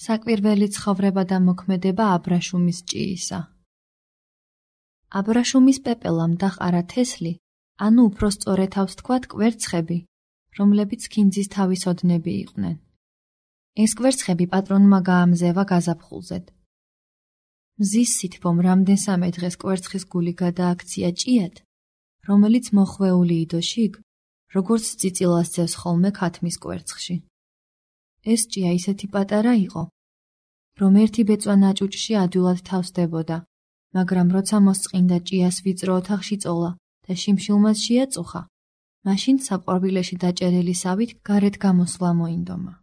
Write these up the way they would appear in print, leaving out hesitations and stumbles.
საკვირველი ცხოვრება და მოქმედება აბრაშუმის ჭიისა. აბრაშუმის პეპელამ დაყარა თესლი, ანუ უფრო სწორედავს თქვათ კვერცხები, რომლებიც ქინძის თავის ოდნები იყვნენ. ეს კვერცხები პატრონმა გაამზევა გაზაფხულზედ. მზის სითბომ რამდენსამე დღეს კვერცხის გული გადააქცია ჭიად, რომელიც მოხვეული იდო შიგ, როგორც წიწილას ძევს ხოლმე ქათმის კვერცხში. ეს ჭია ისეთი პატარა იყო, რომ ერთი ბეწვა ნაჭუჭში ადვილად თავს დებოდა, მაგრამ როცა მოსწყინდა ჭიას ვიწრო ოთახში წოლა და შიმშილმაც შეაწუხა, მაშინ საყვარვილეში დაჭერილი სავით გარეთ გამოსვლა მოინდომა.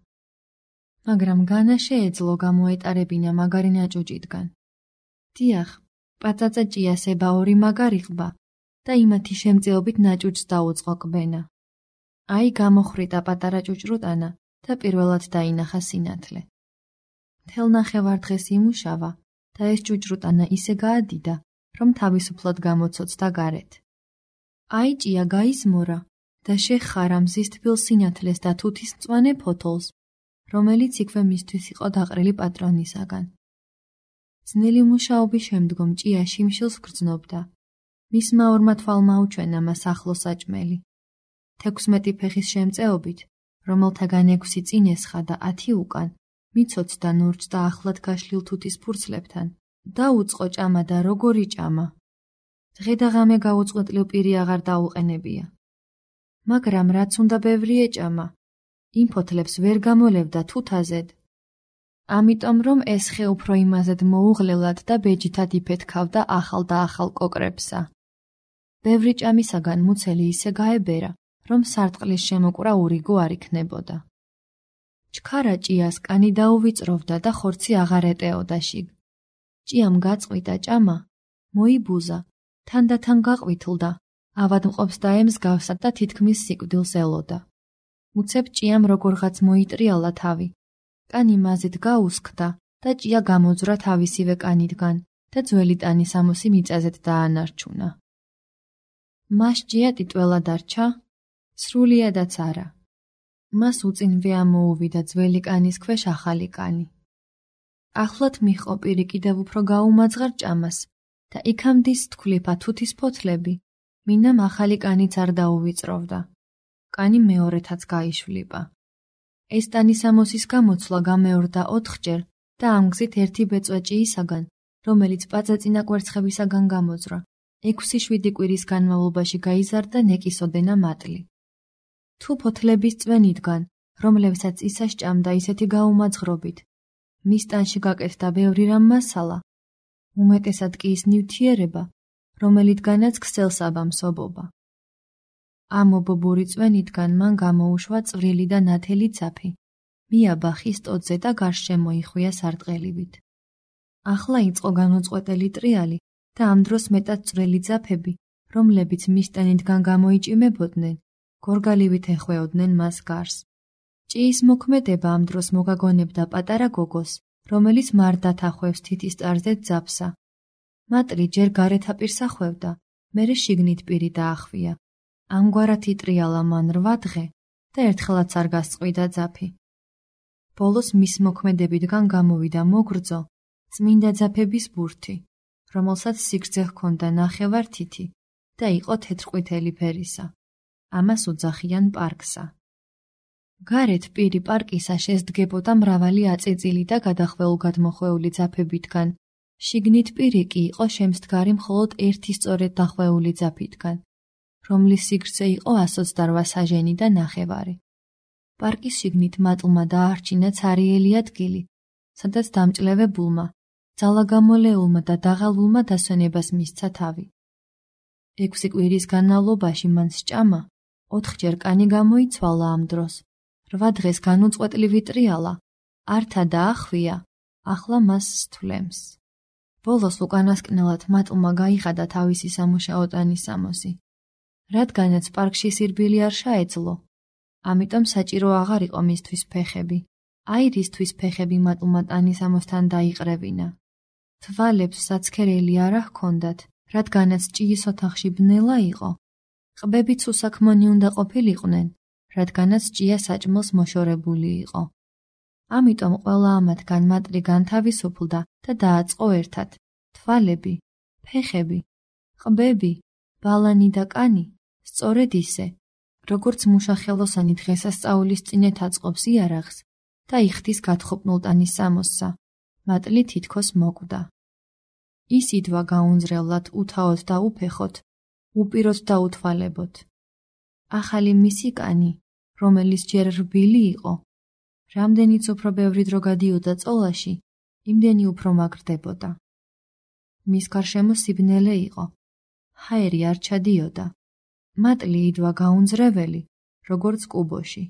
მაგრამ განა შეეძლო გამოეტარებინა მაგარი ნაჭუჭიდან. დიახ, პაწაწა ჭიას ება ორი მაგარი ყბა და იმათი შემწეობით ნაჭუჭს დაუწყო კბენა. აი გამოხრიტა პატარა ჭუჭრუტანა და პირველად დაინახა სინათლე. მთელ ნახევარდღეს იმუშავა და ეს ჭუჭრუტანა ისე გაადიდა, რომ თავისუფლად გამოცოცდა გარეთ. აი ჭია გაიზმორა და შეხარა მზის თბილ სინათლეს და თუთის მწვანე ფოთოლს, რომელიც იქვე მისთვის იყო დაყრილი პატრონისაგან. ძნელი მუშაობის შემდგომ ჭია შიმშილს გრძნობდა. მისმა ორმა თვალმა უჩვენა მას ახლო საჭმელი. 16 ფეხის შემწეობით, რომელთაგან 6 წინ ესხა და 10 უკან, მიცოცდა ნურჯს და ახლად გაშლილ თუთის ფურცლებთან. დაუწყო ჭამა და როგორი ჭამა. დღე და ღამე გაუწყვეტლივ პირი აღარ დაუყენებია. მაგრამ რაც უნდა ბევრი ეჭამა, იმ ფოთლებს ვერ გამოლევდა თუთაზედ. ამიტომ რომ ეს ხე უფრო იმაზედ მოუღლელად და ბეჯითად იფეთქავდა ახალ და ახალ კოკრებსა. ბევრი ჭამისაგან მუცელი ისე გაებერა, რომ სარტყლის შემოკვრა ურიგო არ იქნებოდა. ჩქარა ჭიას კანი დაუვიწროვდა და ხორცი აღარ ეტეოდა შიგ. ჭიამ გაწყვიტა ჭამა, მოიბუზა, თანდათან გაყვითლდა, ავადმყოფს დაემსგავსა და თითქმის სიკვდილს ელოდა. მუცებ ჭიამ როგორღაც მოიტრიალა თავი. კანი მაზით გაუსხდა და ჭია გამოძვრა თავისივე კანიდან და ძველი ტანის ამოსი მიწაზეთ დაანარჩუნა. მას ჭია ტიტველა დარჩა, სრულიადაც არა. მას უწინვე ამოუვიდა ძველი კანის ქვეშ ახალი კანი. ახლად მიჰყო პირი კიდევ უფრო გაუმაძღარ ჭამას და იქამდის თქვლიფა თუთის ფოთლები, მინამ ახალი კანიც არ დაუვიწროვდა. კანი მეორეთაც გაიშვლიპა. ეს ტანის ამოსის გამოცვლა გამეორდა 4ჯერ და ამ გზით ერთი ბეწვა ჭიისაგან, რომელიც პაწაწინა კვერცხებისაგან გამოძრა, 6-7 კვირის განმავლობაში გაიზარდა ნეკისოდენა მატლი. თუ ფოთლების წვენიდან, რომლებსაც ისა სჭამდა ისეთი გაუმაძღრობით, მის ტანში გაკეთდა ბევრი რამ მასალა, უმეტესად კი ის ნივთიერება, რომელიდანაც ქსელს აბამსობობა. ამ ობობური წვენიდან მან გამოუშვა წვრილი და ნათელი ძაფი, მიაბა ხის ტოტზე და გარშემო მოიხვია სარტყელივით. ახლა იწყო განუწყვეტელი ტრიალი და ამ დროს მეტად წვრილი ძაფები, რომლებიც მის ტანიდან გამოიჭიმებოდნენ, გორგალივით ეხვეოდნენ მას გარს. ჭიის მოქმედება ამ დროს მოგაგონებდა პატარა გოგოს, რომელიც მარდათ ახვევს თითის წარზე ძაფსა. მატლი ჯერ გარეთ აპირს ახვევდა, მერე შიგნით პირი დაახვია. ამგვარად იტრიალა მან 8 დღე და ერთხელაც არ გასწყვიდა ძაფი. ბოლოს მის მოქმედებიდან გამოვიდა მოგრძო, წმინდა ძაფების ბურთი, რომელსაც სიგრძე ჰქონდა 9 თითი და იყო თეთრყვითელი ფერისა. ამას უძახიან პარკსა. გარეთ პირი პარკისა შესდგებოდა მრავალი აწეწილი და გადახველუგად მოხვეული ძაფებიდან, შიგნით პირი კი იყო შემსდგარი მხოლოდ ერთი სწორედ დახვეული ძაფიდან, რომლის სიგრძე იყო 128 საჟენი და 9. პარკის შიგნით მატლმა დაარჩინა ცარიელი ადგილი, სადაც დამჭლებებულმა, ძალაგამოლეულმა და დაღალულმა დასვენებას მისცა თავი. 6 კვირის განმავლობაში მან სჭამა, 4ჯერ კანი გამოიცვალა ამ დროს, 8 დღეს განუწყვეტლივ იტრიალა, ართა დაახვია, ახლა მას სთვლემს. ბოლოს უკანასკნელად მატლმა გაიღადა თავისი სამუშაო ტანის სამოსი. რადგანაც პარკში სირბილი არ შეეძლო, ამიტომ საჭირო აღარ იყო მისთვის ფეხები. აი რისთვის ფეხები მატლმა ტანის ამოსთან დაიყრევინა. თვალებს საცქერელი არ ჰქონდათ, რადგანაც ჭიის ოთახში ბნელა იყო. ყბებიც უსაქმონი უნდა ყოფილიყვნენ, რადგანაც ჭია საჭმელს მოშორებული იყო. ამიტომ ყველა ამათგან მატლი განთავისუფლდა და დააწყო ერთად. თვალები, ფეხები, ყბები, ბალანი და კანი, სწორედ ისე, როგორც მუშა ხელოსანი დღესასწაულის წინეთ აწყობს იარაღს და იხდის გათხოპნულ ტანის სამოსსა, მატლი თითქოს მოკვდა. ის იდვა გაუნძრევლად, უთავოდ და უფეხოთ, უპიროთ და უთვალებოთ. ახალი მისი კანი, რომელიც ჯერ რბილი იყო, რამდენიც უფრო ბევრი დრო გადიოდა წოლაში, იმდენი უფრო მაგრდებოდა. მის გარშემო სიბნელე იყო, ჰაერი არ ჩადიოდა. მატლი იდვა გაუნძრეველი, როგორც კუბოში.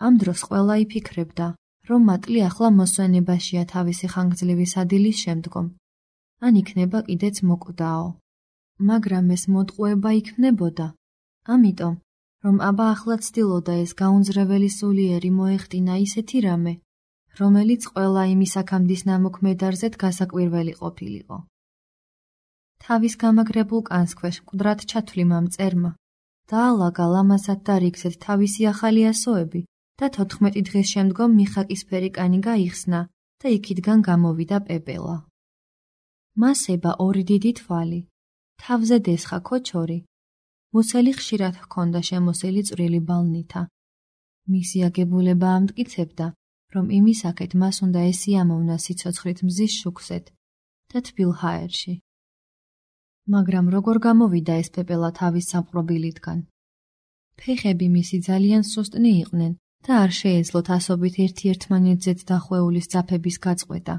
ამ დროს ყველა იფიქრებდა, რომ მატლი ახლა მოსვენებაშია თავისი ხანგრძლივი სადილის შემდგომ, ან იქნება კიდეც მოკვდაო. მაგრამ ეს მოტყუება იქნებოდა, ამიტომ, რომ აბა ახლა ცდილოდა ეს გაუნძრეველი სულიერი მოეხტინა ისეთი რამე, რომელიც ყველა იმის აქამდის ნამოქმედარზეთ გასაკვირველი ყოფილიყო. თავის გამაგრებულ კანს ქვეშ მკვდრად ჩათვლიმა მწერმა, დაალაგა ლამაზად და რიგზედ თავისი ახალი ასოები და 14 დღის შემდგომ მიხაკისფერი კანი გაიხსნა და იქიდან გამოვიდა პეპელა. მას ება ორი დიდი თვალი, თავზე დესხა ქოჩორი, მუცელი ხშირად ჰქონდა შემოსილი წვრილი ბალნითა. მისი აგებულება ამტკიცებდა, რომ იმისაკეთ მას უნდა ესიამოვნა სიცოცხლით მზის შუქსეთ და თბილ ჰაერში. მაგრამ როგორ გამოვიდა ეს პეპელა თავის სამყრობილიდან? ფეხები მისი ძალიან სუსტნი იყვნენ და არ შეეძლოთ ასობით ერთმანეთზეც დახვეულის ძაფების გაწყვეტა.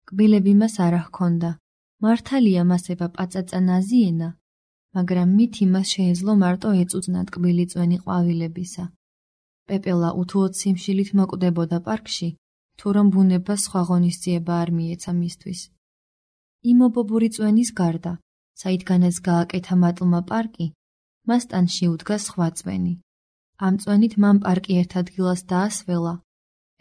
კბილები მას არ ჰქონდა, მართალია მას ება პაწაწა ნაზიენა, მაგრამ მით იმას შეეძლო მარტო ეწუწნა ტკბილი წვენი ყვავილებისა. პეპელა უთუოდ სიმშილით მოკვდებოდა პარკში, თუ რომ ბუნებას სხვა ღონისძიება არ მიეცა მისთვის. იმობობური წვენის გარდა, საიდანაც გააკეთა მატლმა პარკი, მას ტანში უდგა სხვა წვენი. ამ წვენით მან პარკი ერთ ადგილას დაასველა.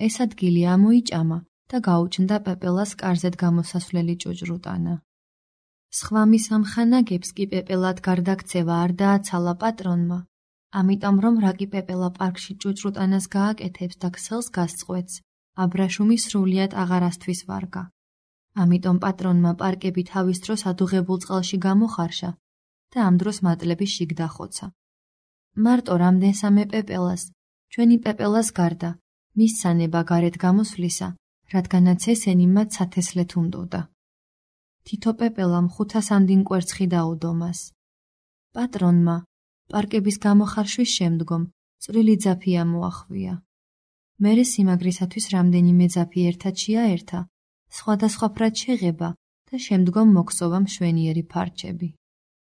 ეს ადგილი ამოიჭამა და გაუჩნდა პეპელას კარზედ გამოსასვლელი ჭუჭრუტანა. სხვა მის ამხანაგებს კი პეპელად გარდაქცევა არ დააცალა პატრონმა, ამიტომ რომ რაკი პეპელა პარკში ჭუჭრუტანას გააკეთებს და ქსელს გასწყვეტს, აბრაშუმი სრულიად აღარასთვის ვარგა. ამიტომ პატრონმა პარკები თავის დროს ადუღებულ წყალში გამოხარშა და ამ დროს მატლები შიგ დახოცა. მარტო რამდენსამე პეპელას, ჩვენი პეპელას გარდა, მის სანება გარეთ გამოსვლისა, რადგანაც ესენი მათ სათესლეთ უნდოდა. თითო პეპელამ 500 ამდინ კვერცხი დაუდო მას. პატრონმა, პარკების გამოხარშვის შემდგომ, წვრილი ძაფი ამოახვია. მერე სიმაგრისათვის რამდენიმე ძაფი ერთად შეაერთა, სხვადასხვა ფრად შეღება და შემდგომ მოქსოვა მშვენიერი ფარჩები.